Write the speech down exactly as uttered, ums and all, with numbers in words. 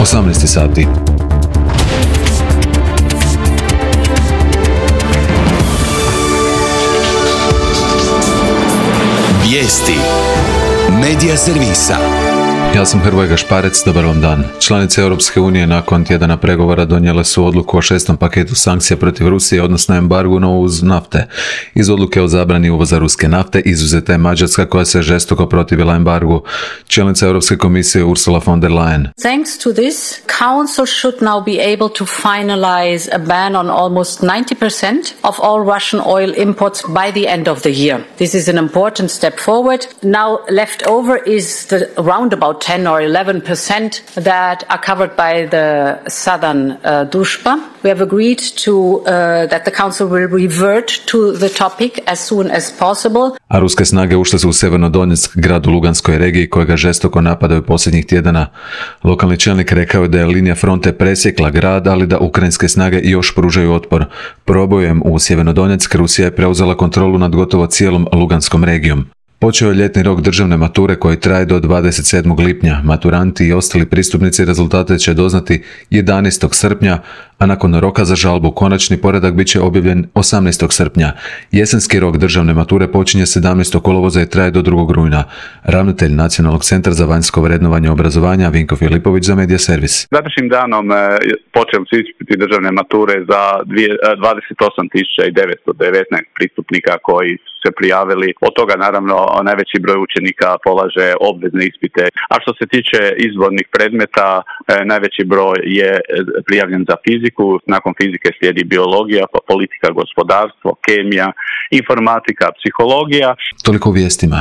osamnaest sati. Vijesti Medija servisa. Ja sam Hrvoje Gašparec, dobar vam dan. Članice Europske unije nakon tjedana pregovora donijele su odluku o šestom paketu sankcija protiv Rusije, odnosno embargu na uvoz nafte. Iz odluke o zabrani uvoza ruske nafte izuzeta je Mađarska koja se žestoko protivila embargu. Čelnica Europske komisije Ursula von der Leyen. Thanks to this, Council should now be able to finalize a ban on almost ninety percent of all Russian oil imports by the end of the year. This is an important step forward. Now left over is the roundabout ten or eleven percent that are covered by the southern uh, Družba. We have agreed to uh, that the council will revert to the topic as soon as possible. A ruske snage ušle su u Sjevernodonjeck, grad u Luganskoj regiji kojega žestoko napadaju posljednjih tjedana. Lokalni čelnik rekao je da je linija fronte presjekla grad, ali da ukrajinske snage još pružaju otpor. Probojem u Sjevernodonjeck Rusija je preuzela kontrolu nad gotovo cijelom Luganskom regijom. Počeo je ljetni rok državne mature koji traje do dvadeset sedmog lipnja. Maturanti i ostali pristupnici rezultate će doznati jedanaestog srpnja, a nakon roka za žalbu konačni poredak bit će objavljen osamnaestog srpnja. Jesenski rok državne mature počinje sedamnaestog kolovoza i traje do drugog rujna. Ravnatelj Nacionalnog centra za vanjsko vrednovanje obrazovanja Vinko Filipović za Medija servis. Današnjim danom počeli su ispiti državne mature za dvadeset osam tisuća devetsto devetnaest pristupnika koji su se prijavili. Od toga naravno najveći broj učenika polaže obvezne ispite. A što se tiče izbornih predmeta, najveći broj je prijavljen za fiziku, nakon fizike slijedi biologija, pa politika, gospodarstvo, kemija, informatika, psihologija. Toliko u vijestima.